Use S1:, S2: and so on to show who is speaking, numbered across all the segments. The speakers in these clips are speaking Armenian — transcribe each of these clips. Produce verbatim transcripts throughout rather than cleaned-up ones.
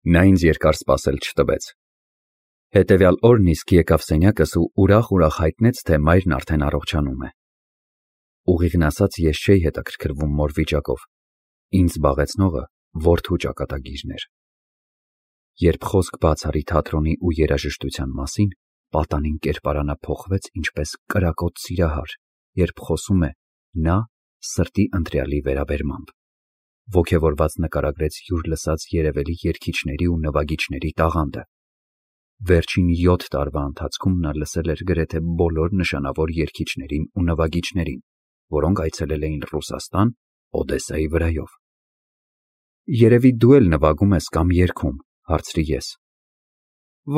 S1: Նա ինձ երկար սպասել չտվեց։ Հետևյալ օրն իսկ եկավ սենյակս ու ուրախ-ուրախ հայտնեց, թե մայրն արդեն առողջանում է։ Ուղիղն ասած, ես չէի հետաքրքրվում մոր վիճակով, ինձ զբաղեցնողը որդու ճակատագիրն էր։ Երբ խոսք բաց արի թատրոնի ու երաժշտության մասին, պատանին կերպարանափոխվեց ինչպես կրակոտ սիրահար, երբ խոսում է նա սրտի ընտրյալի վերաբերմամբ, ոգևորված նկարագրեց յուր լսած երևելի երգիչների ու նվագիչների տաղանդը։ Վերջին յոթ տարվա ընթացքում նա լսել էր գրեթե բոլոր նշանավոր երգիչներին ու նվագիչներին, որոնք այցելել էին Ռուսաստան Օդեսայի վրայով։ Երևի դու էլ նվագում ես կամ երգում, հարցրի ես։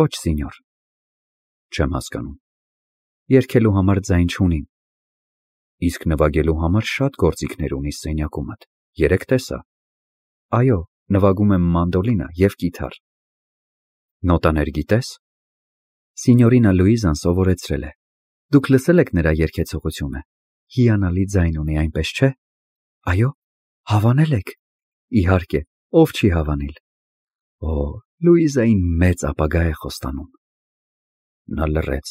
S1: Ոչ, սինյոր։ Չեմ հասկանում։ Երգելու համար ձայն չունիմ։ Իսկ նվագելու համար շատ գործիքներ ունիս սենյակումդ, երեկ տեսա։ Այո, նվագում եմ մանդոլինա և կիթառ։ Նոտաներ գիտես։ Սինյորինա Լուիզան սովորեցրել է։ Դուք լսել եք նրա երգեցողությունը։ Հիանալի ձայն ունի, այնպես չէ։ Այո, հավանել եք։ Իհարկե, ով չի հավանել։ Օ, Լուիզային մեծ ապագա է խոստանում։ Նա լռեց,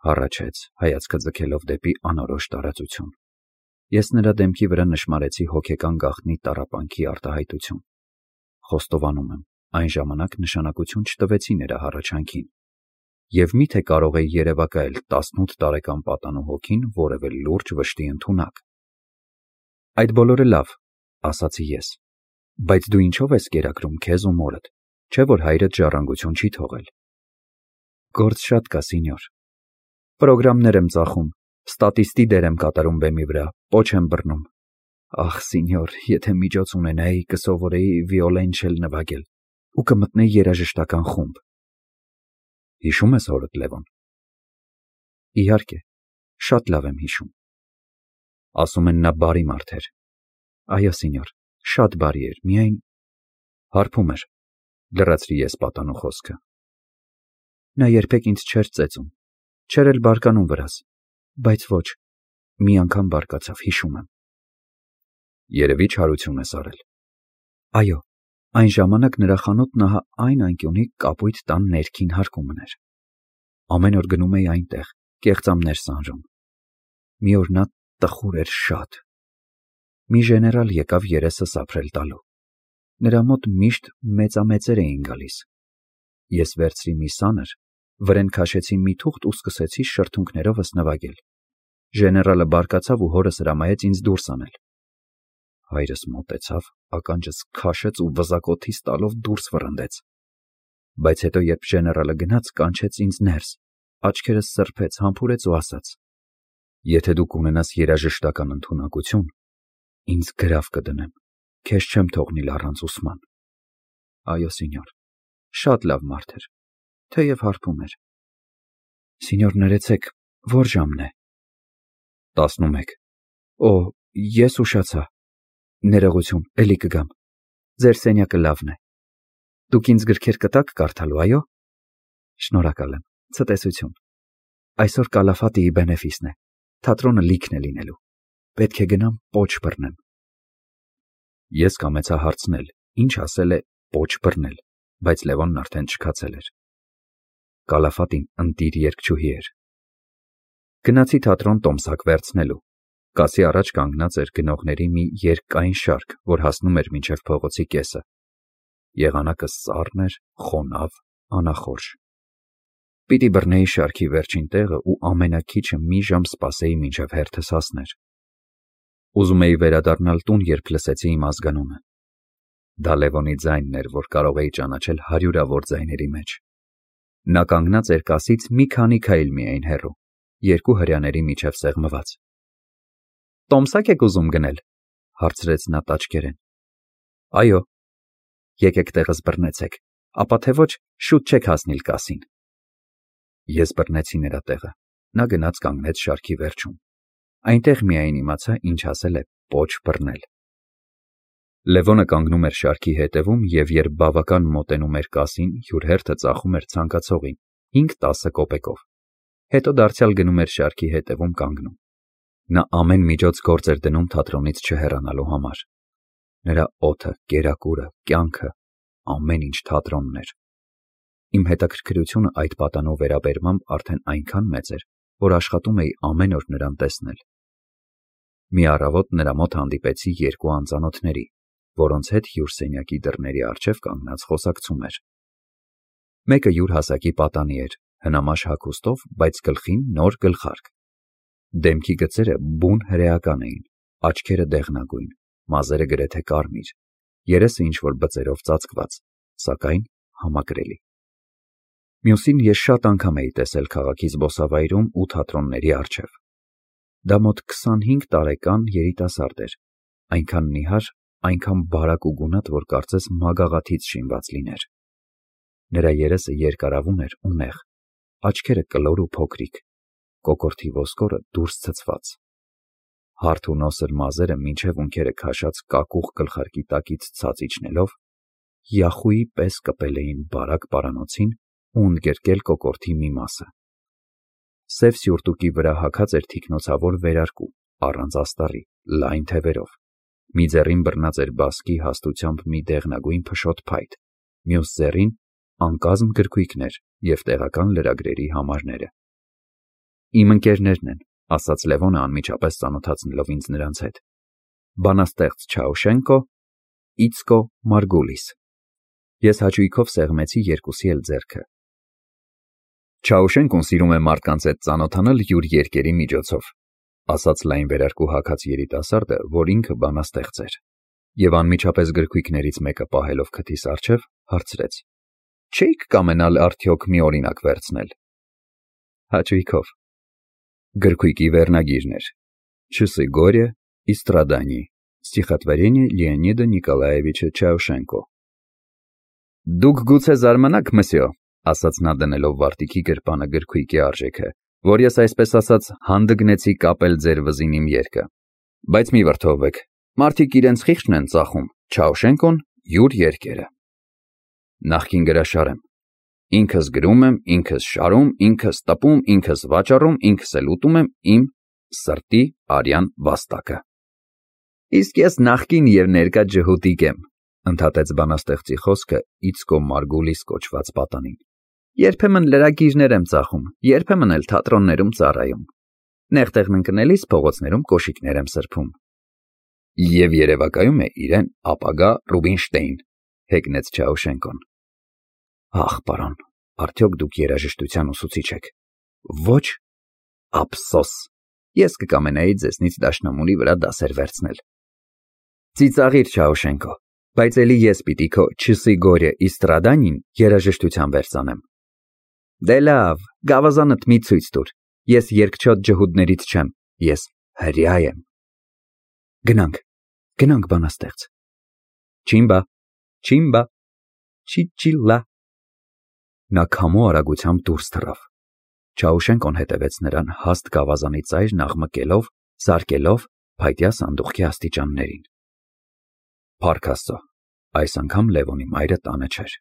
S1: հառաչեց, հայացքը ձգելով դեպի անորոշ տարածություն։ Ես նրա դեմքի վրա նշմարեցի հոգեկան գաղտնի տառապանքի արտահայտություն։ Խոստովանում եմ, այն ժամանակ նշանակություն չտվեցի նրա հառաչանքին։ Եվ միթե կարող է երևակայել տասնութ տարեկան պատանու հոգին որևէ լուրջ վշտի ընդունակ։ Այդ բոլորը լավ, ասացի ես, բայց դու ինչով ես կերակրում քեզ ու մորդ, չէ՞ որ հայրդ ժառանգություն չի թողել։ Գործ շատ կա, սինյոր։ Պրոգրամներ եմ ծախում, ստատիստի դեր եմ կատարում բեմի վրա, պոչ եմ բռնում։ Ախ, սինյոր, եթե միջոց ունենայի, կսովորեի վիոլենչել նվագել ու կմտնեի երաժշտական խումբ։ Հիշում ես հորդ Լևոն։ Իհարկե, շատ լավ եմ հիշում։ Ասում են նա բարի մարդ էր։ Այո, սինյոր, շատ բարի էր, միայն հարբում էր, լրացրի ես պատանու խոսքը։ Նա երբեք ինձ չէր ծեծում, չէր էլ բարկանում վրաս, բայց ոչ, մի անգամ բարկացավ, հիշում եմ։ Երևի չարություն ես արել։ Այո, այն ժամանակ նրա խանութն ահա այն անկյունի կապույտ տան ներքին հարկումն էր։ Ամեն օր գնում էի այնտեղ, կեղծամներ սանրում։ Մի օր նա տխուր էր շատ։ Մի ժեներալ եկավ երեսս ապրել տալու։ Նրա մոտ միշտ մեծամեծեր էին գալիս։ Ես վերցրի մի սանր, վրեն քաշեցի մի թուղթ ու սկսեցի շրթունքներովս նվագել։ Ժեներալը բարկացավ ու հորս հրամայեց ինձ դուրս անել։ Հայրս մոտեցավ, ականջս քաշեց ու վզակոթիս տալով դուրս վռնդեց։ Բայց հետո երբ ժեներալը գնաց, կանչեց ինձ ներս, աչքերս սրբեց, համբուրեց ու ասաց. Եթե դու կունենաս երաժշտական ընդունակություն, ինձ գրավ կդնեմ, քեզ չեմ թողնիլ առանց ուսման։ Այո, սինյոր, շատ լավ մարդ էր, թեև հարբում էր։ Սինյոր, ներեցեք, որ ժամն է։ Տասնումեկ։ Օ, ես ուշացա։ Ներողություն, էլի կգամ։ Ձեր սենյակը լավն է։ Դուք ինձ գրքեր կտաք կարդալու, այո։ Շնորհակալ եմ, ցտեսություն։ Այսօր Կալաֆատիի բենեֆիսն է, թատրոնը լիքն է լինելու։ Պետք է գնամ պոչ բռնեմ։ Ես կամեցա հարցնել, ինչ ասել է պոչ բռնել, բայց Լևոնն արդեն չքացել էր։ Կալաֆատին ընտիր երգչուհի էր։ Գնացի թատրոն տոմսակ վերցնելու։ Կասի առաջ կանգնած էր գնողների մի երկայն շարք, որ հասնում էր մինչև փողոցի կեսը։ Եղանակը սառն էր, խոնավ, անախորժ։ Պիտի բռնեի շարքի վերջին տեղը ու ամենաքիչը մի ժամ սպասեի մինչև հերթս հասներ։ Ուզում էի վերադառնալ տուն, երբ լսեցի իմ ազգանունը։ Դա Լևոնի ձայնն էր, որ կարող էի ճանաչել հարյուրավոր ձայների մեջ։ Նա կանգնած էր կասից մի քանի քայլ միայն հեռու, երկու հրյաների միջև սեղմված։ Տոմսակ եք ուզում գնել, հարցրեց նա տաճկերեն։ Այո։ Եկեք տեղս բռնեցեք, ապա թե ոչ շուտ չեք հասնիլ կասին։ Ես բռնեցի նրա տեղը, նա գնաց կանգնեց շարքի վերջում։ Այնտեղ միայն իմացա, ինչ ասել է պոչ բռնել։ Լևոնը կանգնում էր շարքի հետևում և երբ բավական մոտենում էր կասին, յուր հերթը ծախում էր ցանկացողին հինգ-տասը կոպեկով։ Հետո դարձյալ գնում էր շարքի հետևում կանգնում։ Նա ամեն միջոց գործ էր դնում թատրոնից չհեռանալու համար։ Նրա օդը, կերակուրը, կյանքը ամեն ինչ թատրոնն էր։ Իմ հետաքրքրությունը այդ պատանու վերաբերմամբ արդեն այնքան մեծ էր, որ աշխատում էի ամեն օր նրան տեսնել։ Մի առավոտ նրա մոտ հանդիպեցի երկու անծանոթների, որոնց հետ հյուրսենյակի դռների առջև կանգնած խոսակցում էր։ Մեկը յուր հասակի պատանի էր, հնամաշ հագուստով, բայց գլխին նոր գլխարկ։ Դեմքի գծերը բուն հրեական էին, աչքերը դեղնագույն, մազերը գրեթե կարմիր, երեսը ինչ-որ բծերով ծածկված, սակայն համակրելի։ Մյուսին ես շատ անգամ էի տեսել քաղաքի զբոսավայրում ու թատրոնների առջև։ Դա մոտ քսանհինգ տարեկան երիտասարդ էր, այնքան նիհար, այնքան բարակ ու գունատ, որ կարծես մագաղաթից շինված լիներ։ Նրա երեսը երկարավուն էր ու նեղ, աչքերը կլոր ու փոքրիկ, կոկորդի ոսկորը դուրս ցցված։ Հարթ ու նոսր մազերը մինչև ունքերը քաշած կակուղ գլխարկի տակից ցած իջնելով, յախուի պես կպել էին բարակ պարանոցին ու ընդգրկել կոկորդի մի մասը։ Սև սյուրտուկի վրա հագած էր թիկնոցավոր վերարկու, առանց աստառի, լայն թևերով։ Մի ձեռին բռնած էր բասկի հաստությամբ մի դեղնագույն փշոտ փայտ, մյուս ձեռին անկազմ գրքույկներ և տեղական լրագրերի համարները։ Իմ ընկերներն են, ասաց Լևոնը անմիջապես ծանոթացնելով ինձ նրանց հետ։ Բանաստեղծ Չաուշենկո, Իցկո Մարգուլիս։ Ես հաճույքով սեղմեցի երկուսի էլ ձեռքը։ Չաուշենկոն սիրում է մարդկանց հետ ծանոթանալ յուր երկերի միջոցով, ասաց լայն վերարկու հագած երիտասարդը, որ ինքը բանաստեղծ էր, և անմիջապես գրքույկներից մեկը պահելով քթիս առջև, հարցրեց. Չէիք կամենալ արդյոք մի օրինակ վերցնել։ Հաճույքով։ Գրքույկի վերնագիրն էր. Часы горя и страданий. Стихотворение Լեոնիդա Նիկոլաևիչа Չաուշենկո։ Դուք գուցե զարմանաք, մսյո, ասաց նա դնելով վարտիքի գրպանը գրքույկի արժեքը, որ ես այսպես ասած հանդգնեցի կապել ձեր վզին իմ երգը։ Բայց մի վրդովվեք, մարդիկ իրենց խիղճն են ծախում, Չաուշենկոն յուր երկերը։ Նախկին գրաշար եմ։ Ինքս գրում եմ, ինքս շարում, ինքս տպում, ինքս վաճառում, ինքս էլ ուտում եմ իմ սրտի արյան վաստակը։ Իսկ ես նախկին և ներկա ջհուդիկ եմ, ընդհատեց բանաստեղծի խոսքը Իցկո Մարգուլիս կոչված պատանին։ Երբեմն լրագիրներ եմ ծախում, երբեմն էլ թատրոններում ծառայում։ Նեղ տեղն ընկնելիս փողոցներում կոշիկներ եմ սրբում։ Եվ երևակայում է իրեն ապագա Ռուբինշտեյն, հեգնեց Չաուշենկոն։ Ախ, պարոն, արդյոք դուք երաժշտության ուսուցիչ եք։ Ոչ, ափսոս, ես կկամենայի ձեզնից դաշնամուրի վրա դասեր վերցնել։ Ծիծաղիր, Չաուշենկո, բայց էլի ես պիտի քո Часы горя и страданий երաժշտության վերցանեմ։ Դե լավ, գավազանդ մի ցույց տուր, ես երգչոտ ջհուդներից չեմ, ես հրյա եմ։ Գնանք, գնանք բանաստեղծ։ Չիմբա, չիմբա, չիչիլա։ Նա քամու արագությամբ դուրս թռավ։ Չաուշենկոն հետևեց նրան հաստ գավազանի ծայրն աղմկելով, զարկելով փայտյա սանդուղքի աստիճաններին։ Փառք Աստծո, այս անգամ Լևոնի մայրը տանը չէր,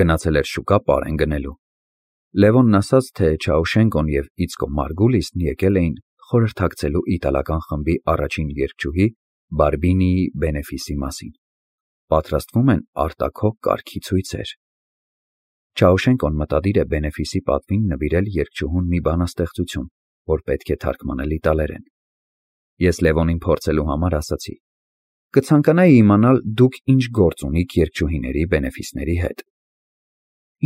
S1: գնացել էր շուկա պարեն գնելու։ Լևոնն ասաց, թե Չաուշենկոն և Իցկո Մարգուլիսն եկել էին խորհրդակցելու իտալական խմբի առաջին երգչուհի Բարբինիի բենեֆիսի մասին։ Պատրաստվում են արտաքո կարգի ցույցեր։ Չաուշենկոն մտադիր է բենեֆիսի պատվին նվիրել երգչուհուն մի բանաստեղծություն, որ պետք է թարգմանել իտալերեն։ Ես Լևոնին փորձելու համար ասացի. Կցանկանայի իմանալ դուք ինչ գործ ունիք երգչուհիների բենեֆիսների հետ։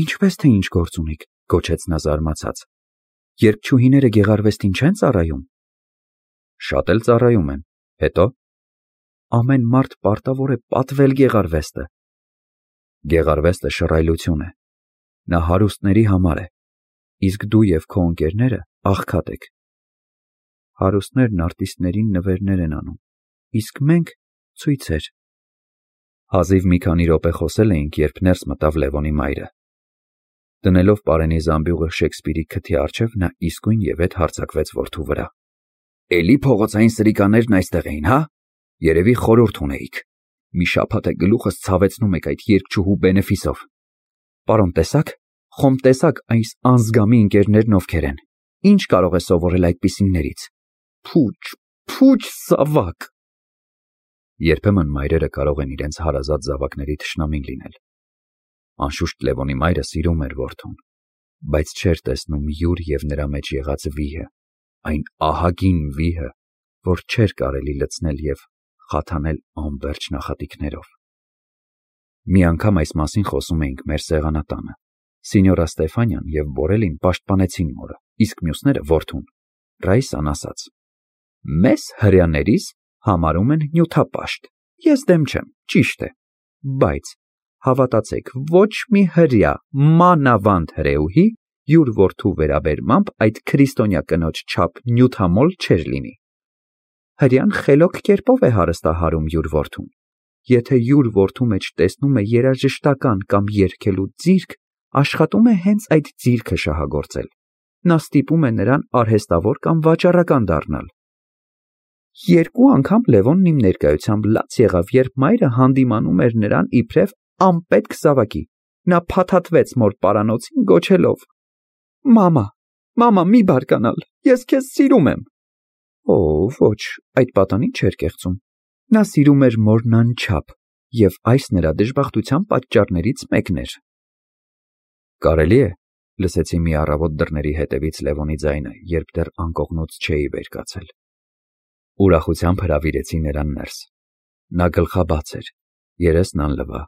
S1: Ինչպես թե ինչ գործ ունիք, գոչեց նա զարմացած։ Երգչուհիները գեղարվեստին չեն ծառայում։ Շատ էլ ծառայում են, հետո ամեն մարդ պարտավոր է պատվել գեղարվեստը։ Գեղարվեստը շռայլություն է։ Նա հարուստների համար է, իսկ դու և քո ընկերները աղքատ եք։ Հարուստներն արտիստներին նվերներ են անում, իսկ մենք ցույցեր։ Հազիվ մի քանի րոպե խոսել էինք, երբ ներս մտավ Լևոնի մայրը։ Դնելով պարենի զամբյուղը Շեքսպիրի քթի առջև, նա իսկույն և ետ հարձակվեց որդու վրա։ Էլի փողոցային սրիկաներն այստեղ էին, հա։ Երևի խորհուրդ ունեիք։ Մի շաբաթ է գլուխս ցավեցնում եք այդ երգչուհու բենեֆիսով։ Պարոն, տեսաք, խոմ տեսաք այս անզգամի ընկերներն ովքեր են։ Ինչ կարող է սովորել այդպիսիներից։ Փուչ, փուչ զավակ։ Երբեմն մայրերը կարող են իրենց հարազատ զավակների թշնամին լինել։ Անշուշտ Լևոնի մայրը սիրում էր որդուն, բայց չէր տեսնում յուր և նրա մեջ եղած վիհը, այն ահագին վիհը, որ չէր կարելի լցնել և խաթանել անվերջ նախատինքներով։ Մի անգամ այս մասին խոսում էինք մեր սեղանատանը։ Սինյորա Ստեֆանյան և Բորելին պաշտպանեցին մորը, իսկ մյուսները որդուն։ Ռաիսան ասաց. «Մեզ հրեաներիս համարում են նյութապաշտ։ Ես դեմ չեմ, ճիշտ է, բայց հավատացեք, ոչ մի հրեա, մանավանդ հրեուհի, յուր որդու վերաբերմամբ այդ քրիստոնյա կնոջ չափ նյութամոլ չէր լինի։ Հրեան խելոք կերպով է հարստահարում յուր որդուն։ Եթե յուր որդու մեջ տեսնում է երաժշտական կամ երգելու ձիրք, աշխատում է հենց այդ ձիրքը շահագործել։ Նա ստիպում է նրան արհեստավոր կամ վաճառական դառնալ։ Երկու անգամ Լևոնն իմ ներկայությամբ լաց եղավ, երբ մայրը հանդիմանում էր նրան իբրև անպետք զավակի։ Նա փաթաթվեց մոր պարանոցին գոչելով. «Մամա, մամա, մի բարկանալ, ես քեզ սիրում եմ»։ Օ, ոչ, այդ պատանին չէր կեղծում։ Նա սիրում էր մորն անչափ, և այս նրա դժբախտության պատճառներից մեկն էր։ Կարելի է, լսեցի մի առավոտ դռների հետևից Լևոնի ձայնը, երբ դեռ անկողնուց չէի վեր կացել։ Ուրախությամբ հրավիրեցի նրան ներս։ Նա գլխաբաց էր, երեսն անլվա,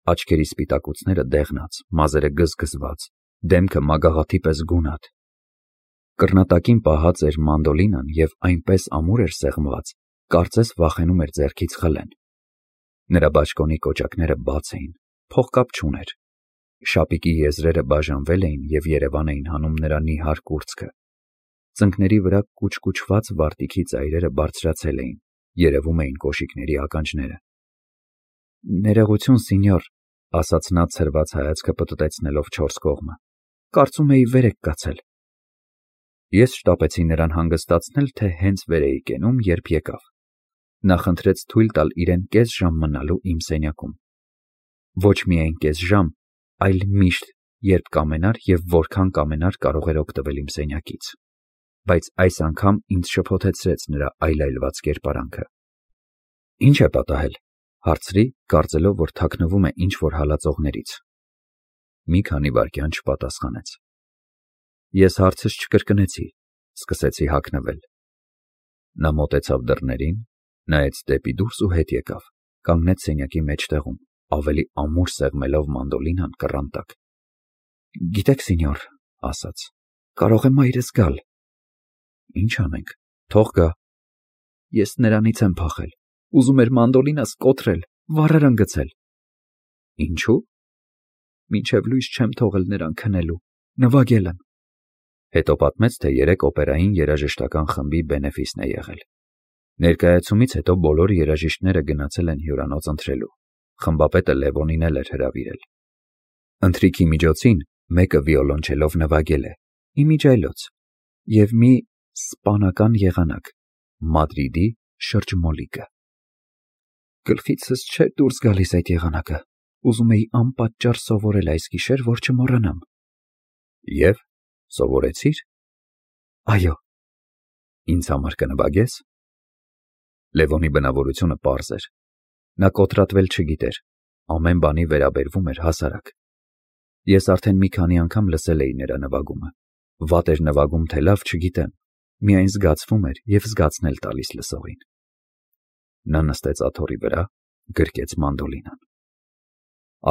S1: աչքերի սպիտակուցները դեղնած, մազերը գզգզված, դեմքը մագաղաթի պես գունատ։ Կռնատակին պահած էր մանդոլինան և այնպես ամուր էր սեղմված, կարծես վախենում էր ձեռքից խլեն։ Նրա բաճկոնի կոճակները բաց էին, փողկապ չուներ։ Շապիկի եզրերը բաժանվել էին և երևան էին հանում նրա նիհար կուրծքը։ Ծնկների վրա կուչկուչված վարտիքի ծայրերը բարձրացել էին, երևում էին կոշիկների ականջները։ Ներողություն, սինյոր, ասաց նա ցրված հայացքը պտտեցնելով չորս կողմը։ Կարծում էի վեր եք կացել։ Ես շտապեցի նրան հանգստացնել, թե հենց վեր էի կենում, երբ եկավ։ Նա խնդրեց թույլ տալ իրեն կես ժամ մնալու իմ սենյակում։ Ոչ միայն կես ժամ, այլ միշտ, երբ կամենար և որքան կամենար կարող էր օգտվել իմ սենյակից։ Բայց այս անգամ ինձ շփոթեցրեց նրա այլայլված կերպարանքը։ Ինչ է պատահել, հարցրի, կարծելով, որ թաքնվում է ինչ-որ հալածողներից։ Մի քանի վայրկյան չպատասխանեց։ Ես հարցս չկրկնեցի, սկսեցի հագնվել։ Նա մոտեցավ դռներին, նայեց դեպի դուրս ու հետ եկավ, կանգնեց սենյակի մեջտեղում, ավելի ամուր սեղմելով մանդոլինան կռան տակ։ Գիտեք, սինյոր, ասաց, կարող է մայրս գալ։ Ինչ անենք, թող գա։ Ես նրանից եմ փախել, ուզում էր մանդոլինաս կոտրել, վառարան գցել։ Ինչու՞։ Մինչև լույս չեմ թողել նրան քնելու, նվագել եմ։ Հետո պատմեց, թե երեկ օպերային երաժշտական խմբի բենեֆիսն է եղել։ Ներկայացումից հետո բոլոր երաժիշտները գնացել են հյուրանոց ընթրելու։ Խմբապետը Լևոնին էլ էր հրավիրել։ Ընթրիքի միջոցին մեկը վիոլոնչելով նվագել է, իմիջիայլոց, և մի սպանական եղանակ, Մադրիդի շրջմոլիկը։ Գլխիցս չէր դուրս գալիս այդ եղանակը, ուզում էի անպատճառ սովորել այս գիշեր, որ չմոռանամ։ Եվ սովորեցի՞ր։ Այո։ Ինձ համար կնվագես։ Լևոնի բնավորությունը պարզ էր։ Նա կոտրատվել չգիտեր, ամեն բանի վերաբերվում էր հասարակ։ Ես արդեն մի քանի անգամ լսել էի նրա նվագումը։ Վատ էր նվագում, թե լավ, չգիտեմ, միայն զգացվում էր և զգացնել տալիս լսողին։ Նա նստեց աթոռի վրա, գրկեց մանդոլինան։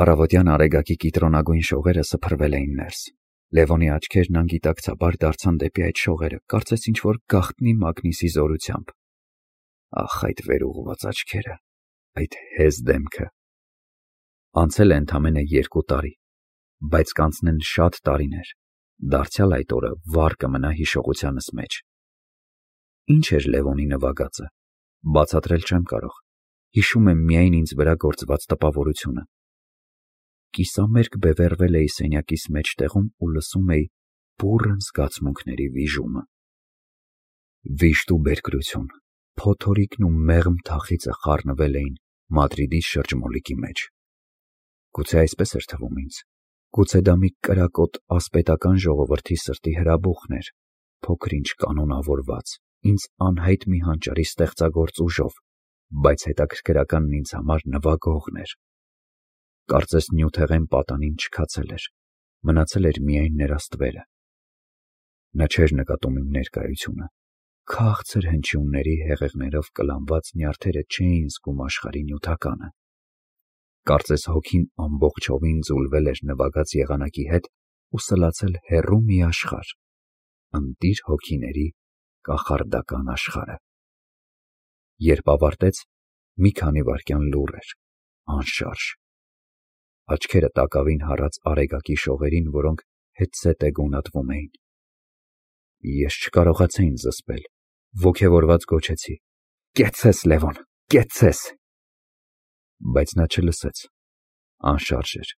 S1: Առավոտյան արեգակի կիտրոնագույն շողերը սփռվել էին ներս։ Լևոնի աչքերն անգիտակցաբար դարձան դեպի այդ շողերը, կարծես ինչ-որ գաղտնի մագնիսի զորությամբ։ Ախ, այդ վերուղված աչքերը, այդ հեզ դեմքը։ Անցել է ընդամենը երկու տարի, բայց կանցնեն շատ տարիներ, դարձյալ այդ օրը վառ կմնա հիշողությանս մեջ։ Ինչ էր Լևոնի նվագածը, բացատրել չեմ կարող, հիշում եմ միայն ինձ վրա գործված տպավորությունը։ Կիսամերկ բևեռվել էի սենյակիս մեջտեղում ու լսում էի բուռն զգացմունքների վիժումը։ Վիշտ ու բերկրություն, փոթորիկն ու մեղմ թախիծը խառնվել էին Մադրիդի շրջմոլիկի մեջ։ Գուցե այսպես էր թվում ինձ, գուցե դա մի կրակոտ ասպետական ժողովրդի սրտի հրաբուխն էր, փոքր-ինչ կանոնավորված, ինձ անհայտ մի հանճարի ստեղծագործ ուժով, բայց հետաքրքրականն ինձ համար նվագողն էր։ Կարծես նյութեղեն պատանին չքացել էր, մնացել էր միայն նրա ստվերը։ Նա չէր նկատում իմ ներկայությունը, քաղցր հնչյունների հեղեղներով կլանված նյարդերը չէին զգում աշխարհի նյութականը։ Կարծես հոգին ամբողջովին ձուլվել էր նվագած եղանակի հետ ու սլացել հեռու մի աշխարհ, ընտիր հոգիների կախարդական աշխարհը։ Երբ ավարտեց, մի քանի վայրկյան լուռ էր, անշարժ։ Աչքերը տակավին հառած արեգակի շողերին, որոնք հետզհետե գունատվում էին։ Ես չկարողացա ինձ զսպել, ոգևորված գոչեցի. «Կեցցես, Լևոն, կեցցես»։ Բայց նա չլսեց, անշարժ էր։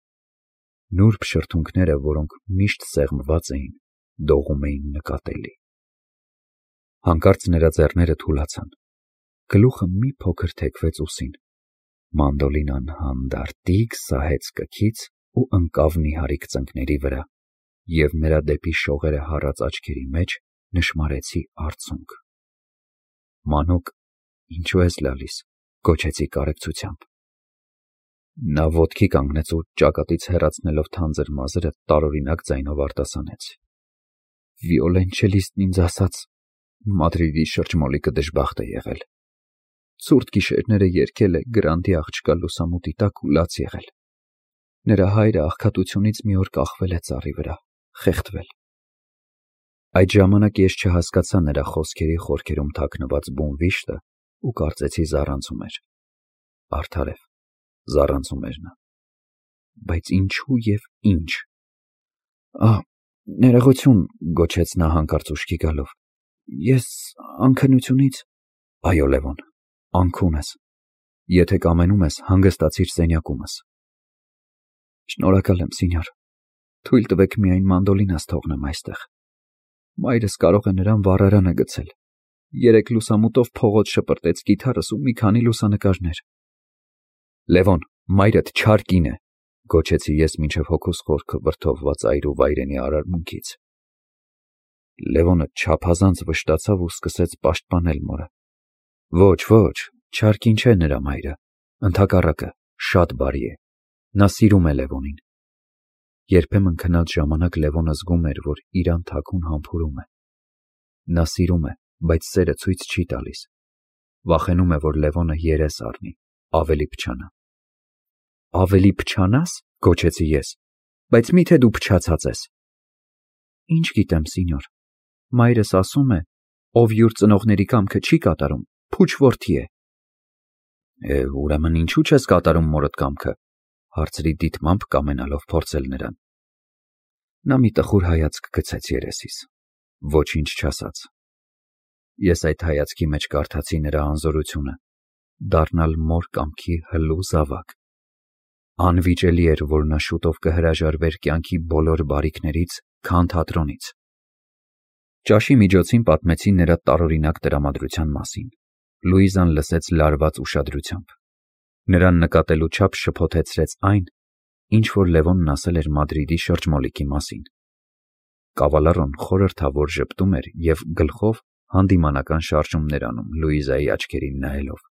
S1: Նուրբ շրթունքները, որոնք միշտ սեղմված էին, դողում էին նկատելի։ Հանկարծ նրա ձեռները թուլացան, գլուխը մի փոքր թեքվեց ուսին, մանդոլինան հանդարտիկ սահեց կքից ու ընկավ նիհարիկ ծնկների վրա, և նրա դեպի շողերը հառած աչքերի մեջ նշմարեցի արցունք։ «Մանուկ, ինչու ես լալիս»։ Գոչեցի կարեկցությամբ։ Նա ոտքի կանգնեց ու ճակատից հեռացնելով թանձր մազերը տարօրինակ ձայնով արտասանեց. «Վիոլենչելիստն ինձ ասաց, Մադրիդի շրջմոլիկը դժբախտ է եղել։ Ցուրտ գիշերները երգել է Գրանտի աղջկա լուսամուտի տակ ու լաց եղել։ Նրա հայրը աղքատությունից մի օր կախվել է ծառի վրա, խեղդվել»։ Այդ ժամանակ ես չհասկացա նրա խոսքերի խորքերում թաքնված բուն վիշտը ու կարծեցի զառանցում էր։ Արդարև, զառանցում էր նա։ Բայց ինչու և ինչ։ «Ահ, ներողություն», գոչեց նա հանկարծ ուշքի գալով։ «Ես անքնությունից»։ «Այո, Լևոն, անքուն ես։ Եթե կամենում ես, հանգստացիր սենյակումս»։ «Շնորհակալ եմ, սինյոր։ Թույլ տվեք միայն մանդոլինս թողնեմ այստեղ։ Մայրս կարող է նրան վառարանը գցել։ Երեկ լուսամուտով փողոց շպրտեց կիթառս ու մի քանի լուսանկարներ»։ «Լևոն, մայրդ չար կին է», գոչեցի ես մինչև հոգուս խորքը վրդովված այրուվայրենի արարմունքից։ Լևոնը չափազանց վշտացավ ու սկսեց պաշտպանել մորը։ «Ոչ, ոչ, չար կին չէ նրա մայրը, ընդհակառակը, շատ բարի է։ Նա սիրում է Լևոնին»։ Երբեմն քնած ժամանակ Լևոնը զգում էր, որ իրան թաքուն համբուրում է։ Նա սիրում է, բայց սերը ցույց չի տալիս։ Վախենում է, որ Լևոնը երես առնի, ավելի փչանա։ «Ավելի փչանա՞ս», գոչեցի ես, «բայց միթե դու փչացած ես»։ «Ինչ գիտեմ, սինյոր, մայրս ասում է, ով յուր ծնողների կամքը չի կատարում, փուչ որդի է»։ «Է, ուրեմն ինչու չես կատարում մորդ կամքը», հարցրի դիտմամբ կամենալով փորձել նրան։ Նա մի տխուր հայացք գցեց երեսիս, ոչինչ չասաց։ Ես այդ հայացքի մեջ կարդացի նրա անզորությունը, դառնալ մոր կամքի հլու զավակ։ Անվիճելի էր, որ նա շուտով կհրաժարվեր կյանքի բոլոր բարիքներից, քան թատրոնից։ Ճաշի միջոցին պատմեցի նրա տարօրինակ տրամադրության մասին։ Լուիզան լսեց լարված ուշադրությամբ։ Նրան նկատելու չափ շփոթեցրեց այն, ինչ որ Լևոնն ասել էր Մադրիդի շրջմոլիկի մասին։ Կավալառոն խորհրդավոր ժպտում էր և գլխով հանդիմանական շարժումներ անում Լուիզայի աչքերին նայելով։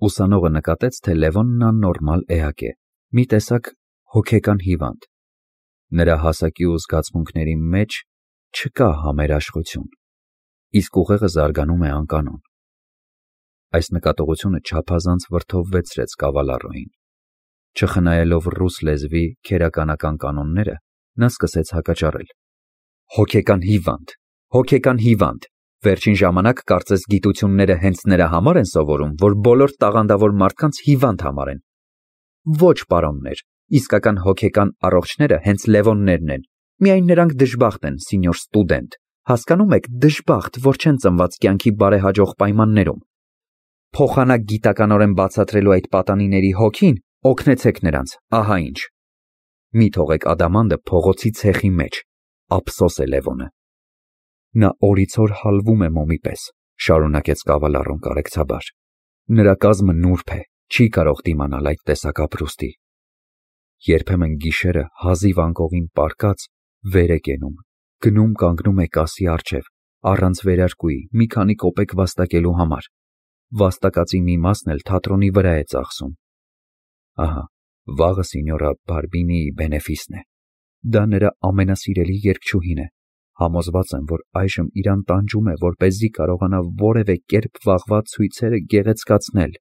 S1: Ուսանողը նկատեց, թե Լևոնն աննորմալ էակ է, մի տեսակ հոգեկան հիվանդ։ Նրա հասակի ու զգացմունքների մեջ չկա համերաշխություն, իսկ ուղեղը զարգանում է անկանոն։ Այս նկատողությունը չափազանց վրդովվեցրեց Կավալառոյին։ Չխնայելով ռուս լեզվի քերականական կանոնները, նա սկսեց հակաճառել. «Հոգեկան հիվանդ, հոգեկան հիվանդ, վերջին ժամանակ կարծես գիտությունները հենց նրա համար են սովորում, որ բոլոր տաղանդավոր մարդկանց հիվանդ համարեն։ Ոչ, պարոններ, իսկական հոգեկան առողջները հենց Լևոններն են, միայն նրանք դժբախտ են, սինյոր ստուդենտ, հասկանում եք, դժբախտ, որ չեն ծնված կյանքի բարեհաջող պայմաններում։ Փոխանակ գիտականորեն բացատրելու այդ պատանիների հոգին, օգնեցեք նրանց, ահա ինչ։ Մի թողեք ադամանդը փողոցի ցեխի մեջ, ափսոս է Լևոնը»։ Նա օրիցօր հալվում է մոմի պես, շարունակեց Կավալառոն կարեկցաբար։ Նրա կազմը նուրբ է, չի կարող դիմանալ այդ տեսակ ապրուստի։ Երբեմն գիշերը հազիվ անկողին պառկած վեր է կենում, գնում կանգնում է կասի առջև, առանց վերարկուի, մի քանի կոպեկ վաստակելու համար։ Վաստակածի մի մասն էլ թատրոնի վրա է ծախսում։ Ահա, Վաղը սինյորա Բարբինիի բենեֆիսն է։ Դա նրա ամենասիրելի երգչուհին է։ Համոզված եմ, որ այժմ իրան տանջում է, որպեսզի կարողանա որևէ կերպ վաղվա ցույցերը գեղեցկացնել։